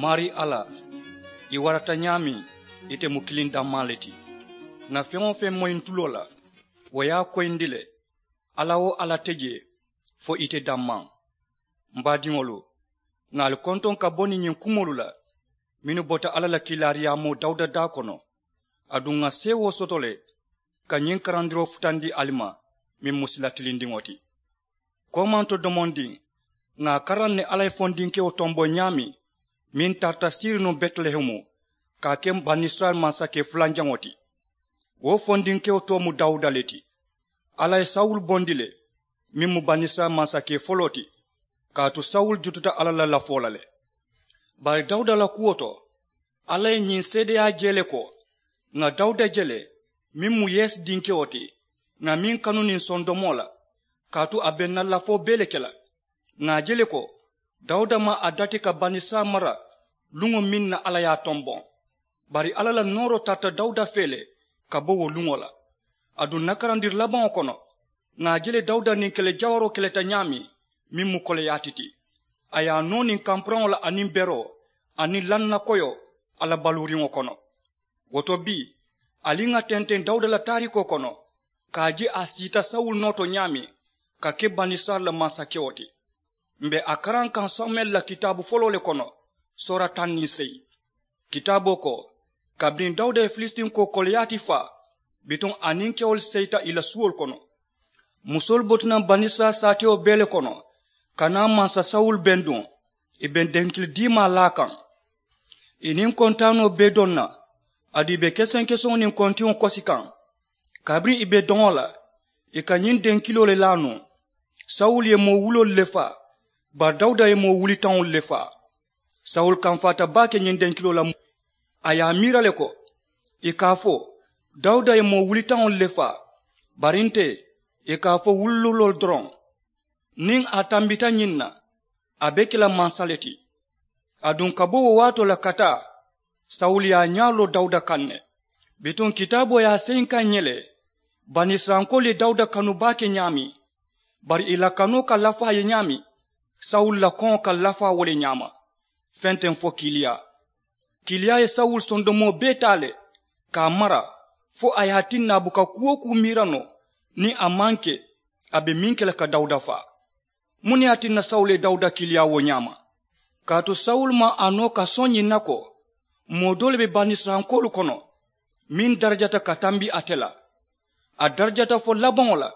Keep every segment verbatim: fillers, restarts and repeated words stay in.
Maarii alla, i warata ñaameŋ, ite mu kiliŋ dammaa le ti. Ŋà feŋ-wo-feŋ moyi ǹ tuloo la, wo ye a koyindi le. Alla-wo-alla te jee fo ite dammaa. M baadiŋolu, ŋà ali kontoŋ ka bo niŋ ñiŋ kumoolu la mennu bota alla la kiilaariyaamoo dawuda daa kono. Aduŋ ŋà seewoo soto le ka ñiŋ karandiroo futandi ali ma, meŋ mu sila tilindiŋo ti. Koomanto domondiŋ, ŋà a karaŋ ne alla ye fondinkewo tomboŋ ñaameŋ meŋ tarata siiri nuŋ betilehemu ka a ke banisirayila mansakee fulanjaŋo ti. Wo fondinkewo too mu dawuda le ti. Alla ye sawulu bondi le, meŋ mu banisirayila mansakee foloo ti. Kaatu sawulu jututa alla la lafoo la le. Bari dawuda la kuwo to, alla ye ñiŋ seedeyaa je le ko, ŋà dawuda je le, meŋ mu yesi dinkewo ti, ŋà meŋ kanu niŋ sondomoo la, kaatu a be ǹ na lafoo bee le ke la. Ŋà a je le ko, dawuda maŋ a dati ka banisirayila mara luŋo meŋ na alla ye a tomboŋ. Bari alla la nooroo tarata dawuda fee le ka bo wo luŋo la. Aduŋ ǹ na karandiri labaŋo kono, ŋà a je le dawuda niŋ kele jawaroo keleta ñaameŋ, meŋ mu koleyaa ti ti. A ye a noo niŋ kampuraŋo la aniŋ beroo, aniŋ lannakoyoo, a la baluuriŋo kono. Wo to bii, ali ŋà tenteŋ dawuda la taariikoo kono, ka a je a siita sawulu noo to ñaameŋ ka ke banisirayila la mansakewo ti. M be a karaŋ kaŋ samuyila la kitaabu foloo le kono, soora taŋ niŋ seyi. Kitaaboo ko, kabiriŋ dawuda ye filisitinko koloyaati faa, bituŋ a niŋ kewolu seyita ì la suwolu kono. Musoolu bota naŋ banisirayila saatewo bee le kono, ka naa mansa sawulu benduŋ, ì be denkili diimaa laa kaŋ. Ì niŋ kontaanoo bee doŋ na, aduŋ ì be kesenkeseŋo niŋ kontiŋo kosi kaŋ. Kabiriŋ ì be doŋo la, ì ka ñiŋ denkiloo le laa nuŋ. Sawulu ye moo wuloolu le faa, bari dawuda ye moo wulitaŋolu le faa. Sawulu kamfaata baake ñiŋ denkiloo la. A ye a miira le ko, ì ka a fo, dawuda ye moo wulitaŋolu le faa, bari nte, ì ka a fo wulululoolu doroŋ. Niŋ a tambita ñiŋ na, a be ke la mansa le ti. Aduŋ ka bo wo waatoo la ka taa, sawulu ye a ñaa loo dawuda kaŋ ne. Bituŋ kitaaboo ye a seyi n kaŋ ñe le, banisirayilankoolu ye dawuda kanu baake ñaameŋ, bari ì la kanoo ka lafaa ye ñaameŋ, sawulu la koŋo ka lafaa wo le ñaama. Feŋ te n fo kiiliyaa. Kiiliyaa ye sawulu sondomoo bee taa le, ka a mara, fo a ye a tinna a buka kuu-wo-kuu miira noo niŋ a maŋ ke a be meŋ ke la ka dawuda faa. Muŋ ne ye a tinna sawulu ye dawuda kiiliyaa wo ñaama? Kaatu sawulu maŋ a noo ka soŋ ñiŋ na ko, moo doo le be banisirayilankoolu kono meŋ darajata ka tambi ate la. A darajata fo labaŋo la.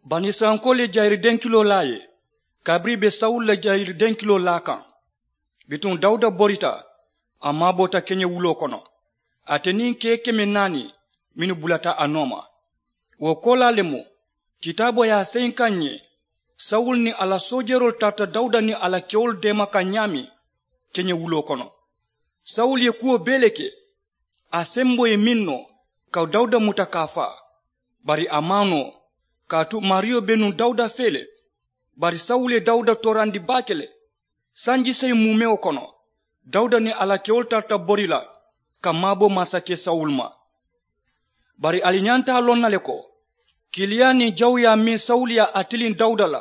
Banisirayilankoolu ye jayiri denkiloo laa a ye, kabiriŋ ì be sawulu la jayiri denkiloo laa kaŋ. Bituŋ dawuda borita, a maaboota keñewuloo kono, ate niŋ kee keme naani mennu bulata a nooma. Wo koolaa le mu, kitaaboo ye a seyi n kaŋ ñe, sawulu niŋ a la soojeroolu tarata dawuda niŋ a la kewolu deema kaŋ ñaameŋ keñewuloo kono. Sawulu ye kuwo bee le ke, a semboo ye meŋ noo, ka dawuda muta ka a faa. Bari a maŋ a noo, kaatu maariyo be nuŋ dawuda fee le. Bari sawulu ye dawuda toorandi baake le. Sanji seyi muumewo kono, dawuda niŋ a la kewolu tarata bori la ka maabo mansakee sawulu ma. Bari ali ñanta a loŋ na le ko, kiiliyaa niŋ jawuyaa meŋ sawulu ye a tiliŋ dawuda la,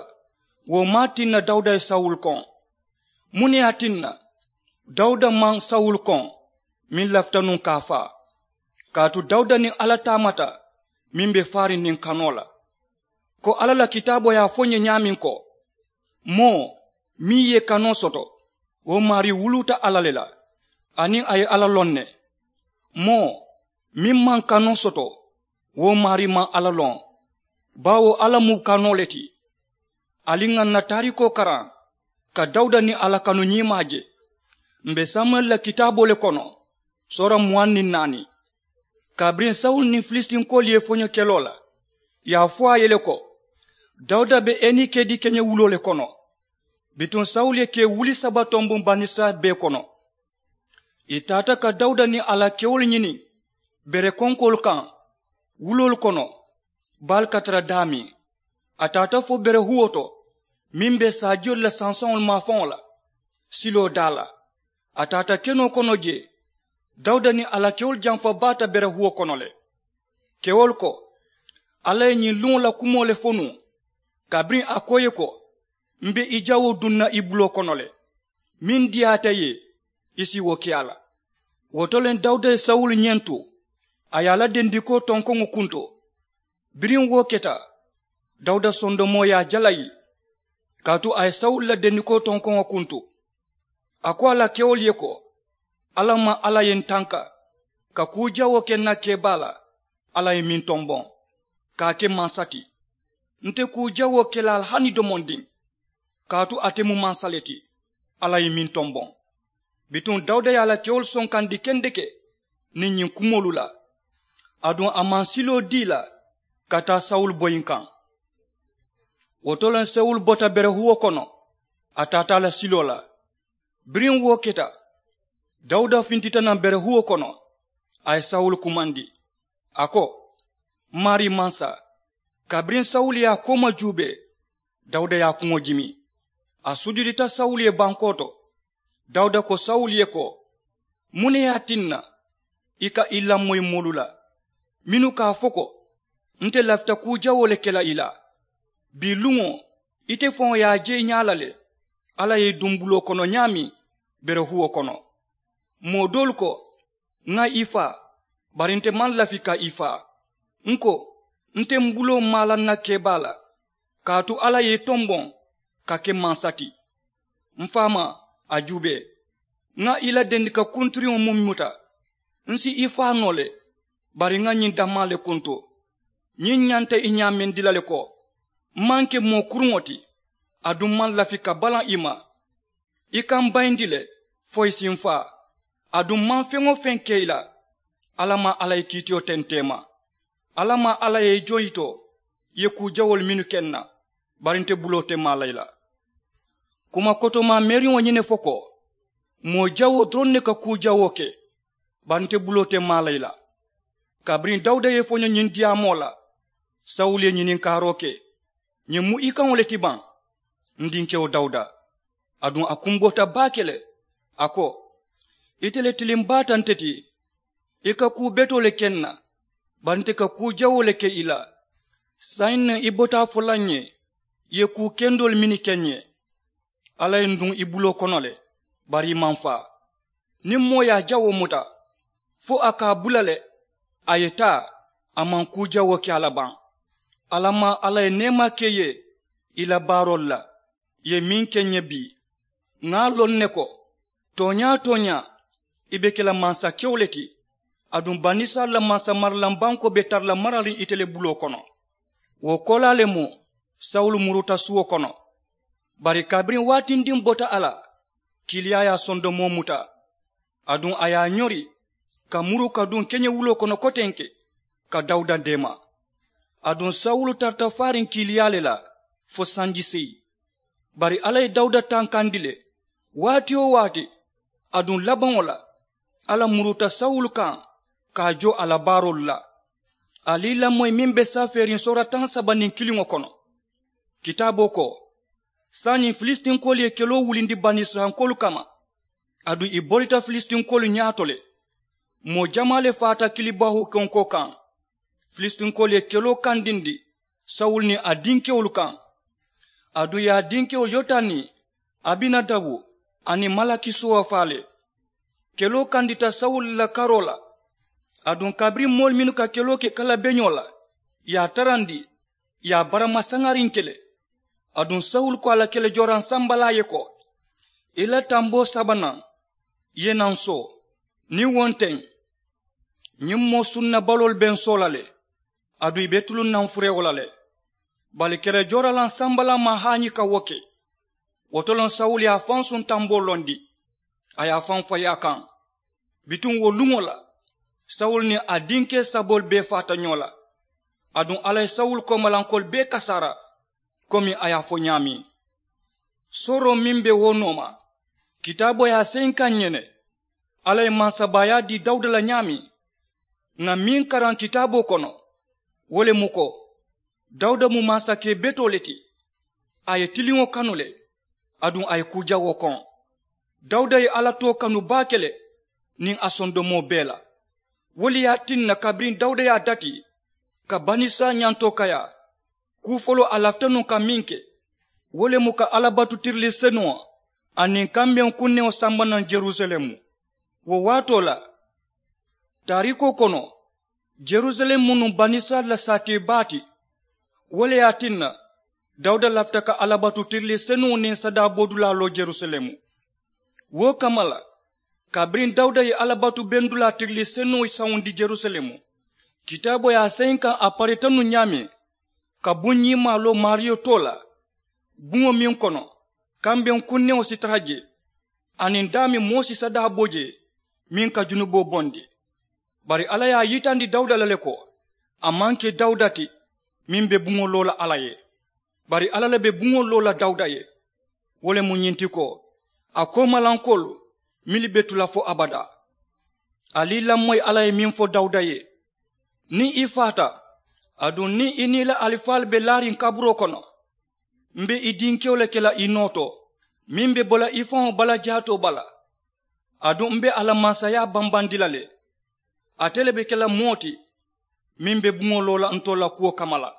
wo maŋ a tinna dawuda ye sawulu koŋ. Muŋ ne ye a tinna? Dawuda maŋ sawulu koŋ, meŋ lafita nuŋ ka a faa. Kaatu dawuda niŋ alla taamata meŋ be faariŋ niŋ kanoo la. Ko alla la kitaaboo ye a fo n ye ñaameŋ ko, moo meŋ ye kanoo soto, wo maarii wuluuta alla le la, aniŋ a ye alla loŋ ne. Moo meŋ maŋ kanoo soto, wo maarii maŋ alla loŋ, baawo alla mu kanoo le ti. Ali ŋà n na taariikoo karaŋ ka dawuda niŋ a la kanu ñiimaa je. M be samuyila la kitaaboo le kono, soora muwaŋ niŋ naani. Kabiriŋ sawulu niŋ filisitinkoolu ye foño keloo la, ì ye a fo a ye le ko, dawuda be enikedi keñewuloo le kono. Bituŋ sawulu ye kee wuli saba tomboŋ banisirayila bee kono. Ì taata ka dawuda niŋ a la kewolu ñini bere konkoolu kaŋ, wuloolu kono, baalu ka tara daameŋ. A taata fo bere huwo to meŋ be saajiyolu la sansaŋolu maafaŋo la, siloo daa la. A taata kenoo kono jee. Dawuda niŋ a la kewolu jamfa baata bere huwo kono le. Kewolu ko, alla ye ñiŋ luŋo la kumoo le fo nuŋ, kabiriŋ a ko ì ye ko, m be i jawoo duŋ na i buloo kono le. Meŋ diyaata ì ye, I si wo ke a la. Wo to le dawuda ye sawulu ñentu, a ye a la dendikoo tonkoŋo kunto. Biriŋ wo keta, dawuda sondomoo ye a jalayi, kaatu a ye sawulu la dendikoo tonkoŋo kuntu. A ko a la kewolu ye ko, alla maŋ alla ye n tanka ka kuu jawoo ke n na kebaa la. Alla ye meŋ tomboŋ ka a ke mansa ti, nte kuu jawoo ke la a la hani domondiŋ, kaatu ate mu mansa le ti. Alla ye meŋ tomboŋ. Bituŋ dawuda ye a la kewolu sonkandi kendeke niŋ ñiŋ kumoolu la. Aduŋ a maŋ siloo dii la ka taa sawulu boyiŋ kaŋ. Wo to le sawulu bota berehuwo kono, a taata a la siloo la. Biriŋ wo keta, dawuda fintita naŋ berehuwo kono, a ye sawulu kumandi, a ko, maarii mansa. Kabiriŋ sawulu ye a kooma juubee, dawuda ye a kuŋo jimi. A sujudita sawulu ye bankoo to. Dawuda ko sawulu ye ko, muŋ ne ye a tinna i ka i lamoyi moolu la mennu ka a fo ko, nte lafita kuu jawoo le ke la i la? Bii luŋo, ite faŋo ye a je i ñaa la le. Alla ye i duŋ buloo kono ñaameŋ, berehuwo kono. Moo doolu ko, ŋa i faa, bari nte maŋ lafi ka i faa. N ko, nte m buloo maa la n na kebaa la, kaatu alla ye i tomboŋ ka ke mansa ti. M faamaa, a juubee, ŋa i la dendika kuntiriŋo muŋ muta, n si i faa noo le, bari ŋa ñiŋ dammaa le kuntu. Ñiŋ ñanta i ñaamendi la le ko, m maŋ ke moo kuruŋo ti, aduŋ m maŋ lafi ka balaŋ i ma. I ka m bayindi le fo i si m faa. Aduŋ m maŋ feŋ-wo-feŋ ke i la, alla maŋ alla ye kiitiyo tenteema. Alla maŋ alla ye i joŋ yitoo i ye kuu jawoolu mennu ke n na, bari nte buloo te maa la i la. Kuma kotomaa meeriŋo ñiŋ ne fo ko, moo jawoo doroŋ ne ka kuu jawoo ke, bari nte buloo te maa la i la. Kabiriŋ dawuda ye i foño ñiŋ diyaamoo la, sawulu ye ñininkaaroo ke, ñiŋ mu i kaŋo le ti baŋ? N dinkewo dawuda. Aduŋ a kumboota baake le, a ko, ite le tiliŋ baata nte ti. I ka kuu betoo le ke n na, bari nte ka kuu jawoo le ke i la. Saayiŋ ne i bota a fo la n ye i ye kuu kendoolu mennu ke n ye. Alla ye n duŋ i buloo kono le, bari i maŋ faa. Niŋ moo ye a jawoo muta fo a ka a bula le, a ye taa, a maŋ kuu jawoo ke a la baŋ. Alla maŋ alla ye neemaa ke i ye i la baaroolu la, i ye meŋ ke n ye bii. Ŋa a loŋ ne ko, tooñaa-tooñaa, i be ke la mansakewo le ti. Aduŋ banisirayila la mansamaralaŋ bankoo be tara la marariŋ ite le buloo kono. Wo koolaa le mu sawulu muruta suwo kono. Bari kabiriŋ waatindiŋ bota a la, kiiliyaa ye a sondomoo muta. Aduŋ a ye a ñori ka muru ka duŋ keñewuloo kono kotenke, ka dawuda deema. Aduŋ sawulu tarata faariŋ kiiliyaa le la fo sanji seyi. Bari alla ye dawuda tankandi le, waati-wo-waati. Aduŋ labaŋo la, alla muruta sawulu kaŋ ka a jo a la baaroolu la. Ali lamoyi meŋ be safeeriŋ soora taŋ saba niŋ kiliŋo kono. Kitaaboo ko, saayiŋ filisitinkoolu ye keloo wulindi banisirayilankoolu kamma, aduŋ i borita filisitinkoolu ñaato le. Moo jamaa le faata kilibaahuu konkoo kaŋ. Filisitinkoolu ye keloo kandindi sawulu niŋ a dinkewolu kaŋ. Aduŋ i ye a dinkewo yotani, abinadabu, aniŋ malakisuwa faa le. Keloo kandita sawulu la karoo la. Aduŋ kabiriŋ moolu mennu ka keloo ke kalabeñoo la, i ye a tarandi, i ye a barama saŋariŋ ke le. Aduŋ sawulu ko a la kelejooraŋ sambalaa ye ko, i la tamboo sabanaŋ, i ye naa n soo. Niŋ wo nteŋ, ñiŋ moo sunnabaloolu be n soo la le. Aduŋ i be tuluŋ na n furewo la le. Bari kelejooralaŋ sambalaa maŋ haañi ka wo ke. Wo to loŋ sawulu ye a faŋ suŋ tamboo londi, a ye a faŋ fayi a kaŋ. Bituŋ wo luŋo la, sawulu niŋ a dinkee saboolu bee faata ñoo la. Aduŋ alla ye sawulu koomalankoolu bee kasaara, komi a ye a fo ñaameŋ. Sooroo meŋ be wo nooma, kitaaboo ye a seyinkaŋ n ye ne. Alla ye mansabaayaa dii dawuda la ñaameŋ, ŋà meŋ karaŋ kitaaboo kono, wo le mu ko, dawuda mu mansakee betoo le ti. A ye tiliŋo kanu le, aduŋ a ye kuu jawoo koŋ. Dawuda ye alla too kanu baake le, niŋ a sondomoo bee la. Wo le ye a tinna kabiriŋ dawuda ye a dati ka banisirayila ñantoo kayaa, kuu foloo a lafita nuŋ ka meŋ ke, wo le mu ka alla batu tirilisinuŋo aniŋ kambeŋ kunneŋo samba naŋ jerusalemu. Wo waatoo la, taariikoo kono, jerusalemu mu nuŋ banisirayila la saatee baa ti. Wo le ye a tinna, dawuda lafita ka alla batu tirilii senuŋo niŋ sadaa bodulaa loo jerusalemu. Wo kamma la, kabiriŋ dawuda ye alla batu bendulaa tirilii senuŋo sawundi jerusalemu, kitaaboo ye a seyiŋ kaŋ a parita nuŋ ñaameŋ, ka buŋ ñiŋ maaloo maariyo too la, buŋo meŋ kono kambeŋ kunneŋo si tara jee, aniŋ daameŋ moo si sadaa bo jee, meŋ ka junuboo bondi. Bari alla ye a yitandi dawuda la le ko, a maŋ ke dawuda ti meŋ be buŋo loo la alla ye, bari alla le be buŋo loo la dawuda ye. Wo le mu ñiŋ ti ko, a koomalankoolu mennu be tu la fo abadaa. Ali lamoyi alla ye meŋ fo dawuda ye, niŋ i faata, aduŋ niŋ i niŋ i la alifaalu be laariŋ kaburoo kono, m be i dinkewo le ke la i noo to, meŋ be bo la i faŋo bala jaatoo bala. Aduŋ m be a la mansayaa bambandi la le. Ate le be ke la moo ti meŋ be buŋo loo la ntolu la kuwo kamma la.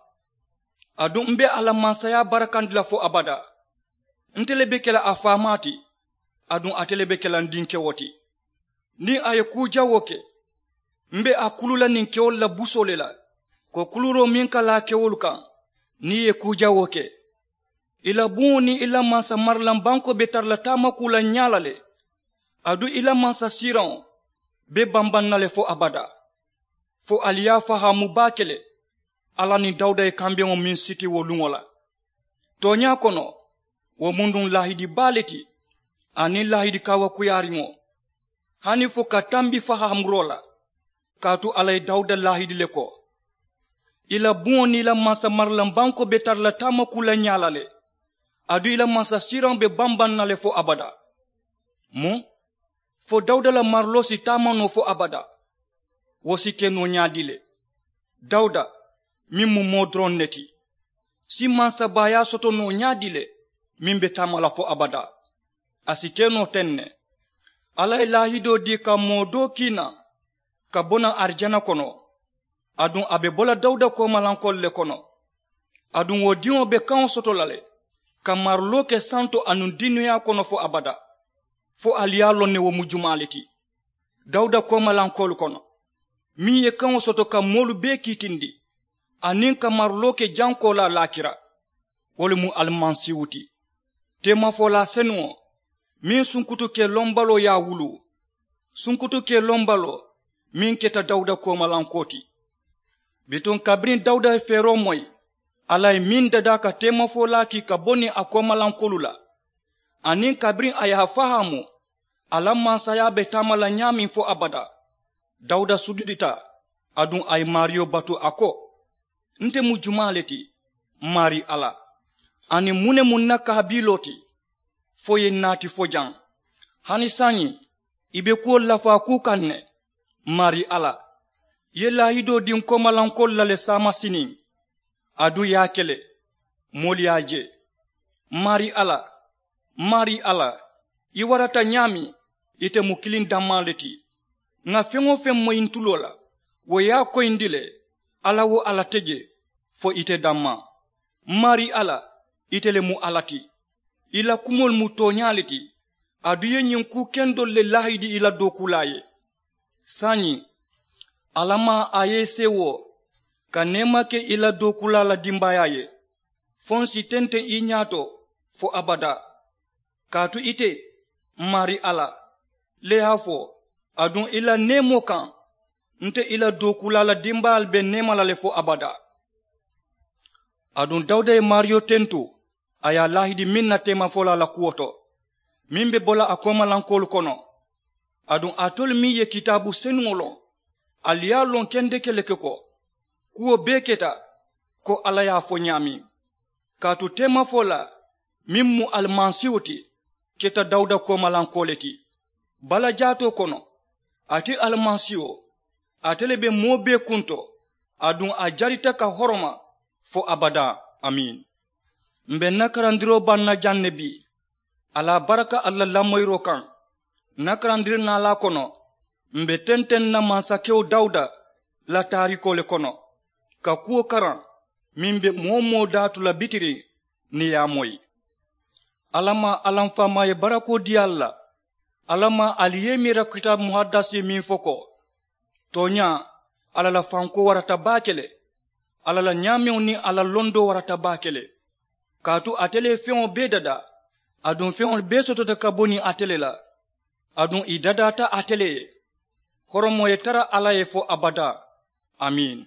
Aduŋ m be a la mansayaa barakandi la fo abadaa. Nte le be ke la a faamaa ti, aduŋ ate le be ke la n dinkewo ti. Niŋ a ye kuu jawoo ke, m be a kulu la niŋ kewolu la busoo le la, ko kuluuroo meŋ ka laa kewolu kaŋ. Niŋ i ye kuu jawoo ke, i la buŋo niŋ i la mansa marilaŋ bankoo be tara la taamakuu la ñaa la le. Aduŋ i la mansa siiraŋo be bambaŋ na le fo abadaa. Fo ali ye a fahaamu baake le, alla niŋ dawuda ye kambeŋo meŋ siti wo luŋo la. Tooñaa kono, wo mu nuŋ laahidi baa le ti, aniŋ laahidi kaawakuyaariŋo, hani fo ka tambi fahaamuroo la. Kaatu alla ye dawuda laahidi le ko, i la buŋo niŋ i la mansa marilaŋ bankoo be tara la taamakuu la ñaa la le. Aduŋ i la mansa siiraŋo be bambaŋ na le fo abadaa. Muŋ? Fo dawuda la mariloo si taama noo fo abadaa? Wo si ke noo ñaadii le? Dawuda, meŋ mu moo doroŋ ne ti, si mansabaayaa soto noo ñaadii le, meŋ be taama la fo abadaa? A si ke noo teŋ ne. Alla ye laahidoo dii ka moo doo kii naŋ, ka bo naŋ arijana kono. Aduŋ a be bo la dawuda koomalankoolu le kono. Aduŋ wo diŋo be kaŋo soto la le, ka mariloo ke santo anuŋ duniyaa kono fo abadaa. Fo ali ye a loŋ ne wo mu jumaa le ti? Dawuda koomalankoolu kono, meŋ ye kaŋo soto ka moolu bee kiitindi, aniŋ ka mariloo ke jankoo la laakira, wo le mu alimasiihu ti, teemafolaa senuŋo, meŋ sunkutu ke lombaloo ye a wuluu, sunkutu ke lombaloo meŋ keta dawuda koomalankoo ti. Bituŋ kabiriŋ dawuda ye feeroo moyi, alla ye meŋ dadaa ka teemafolaa kii ka bo niŋ a koomalankoolu la, aniŋ kabiriŋ a ye a fahaamu a la mansayaa be taama la ñaameŋ fo abadaa, dawuda sujudita, aduŋ a ye maariyo batu a ko, nte mu jumaa le ti, maarii alla? Aniŋ muŋ ne mu n na kaabiloo ti, fo i ye n naati fo jaŋ? Hani saayiŋ i be kuwolu lafaa kuu kaŋ ne, maarii alla. I ye laahidoo dii n koomalankoolu la le saamasiniŋ, aduŋ i ye a ke le, moolu ye a je. Maarii alla, maarii alla, i warata ñaameŋ, ite mu kiliŋ dammaa le ti. Ŋà feŋ-wo-feŋ moyi n tuloo la, wo ye a koyindi le. Alla-wo-alla te je, fo ite dammaa. Maarii alla, ite le mu alla ti. I la kumoolu mu tooñaa le ti. Aduŋ i ye ñiŋ kuu kendoolu le laahidi i la dookuulaa ye. Saayiŋ, alla maŋ a ye i seewoo ka neema ke i la dookuulaa la dimbaayaa ye, fo n si tenteŋ i ñaato fo abadaa. Kaatu ite, maarii alla, le ye a fo, aduŋ i la neemoo kaŋ, nte i la dookuulaa la dimbaayaalu be neema la le fo abadaa. Aduŋ dawuda ye maariyo tentu, a ye a laahidi meŋ na teemafolaa la kuwo to, meŋ be bo la a koomalankoolu kono. Aduŋ alitolu meŋ ye kitaabu senuŋo loŋ, ali ye a loŋ kendeke le ke ko, kuwo bee keta ko alla ye a fo ñaameŋ. Kaatu teemafolaa meŋ mu alimasiihu ti, keta dawuda koomalankoo le ti. Balajaatoo kono, ate alimasiiho, ate le be moo bee kunto, aduŋ a jarita ka horoma fo abadaa. Amiin. M be n na karandiroo baŋ na jaŋ ne bii. A la baraka ali la lamoyiroo kaŋ. N na karandiri naalaa kono, m be tenteŋ na mansakewo dawuda la taariikoo le kono, ka kuwo karaŋ meŋ be moo-wo-moo daatu la bitiriŋ, niŋ i ye a moyi. Alla maa alla m faamaa ye barakoo dii ali la. Alla maa ali ye i miira kitaabu muhaddasi meŋ fo ko, tooñaa, alla la fankoo warata baake le. Alla la ñaameŋo niŋ a la londoo warata baake le. Kaatu ate le ye feŋo bee dadaa, aduŋ feŋolu bee sotota ka bo niŋ ate le la, aduŋ ì dadaata ate le ye. Horomoo ye tara alla ye fo abadaa. Amiin.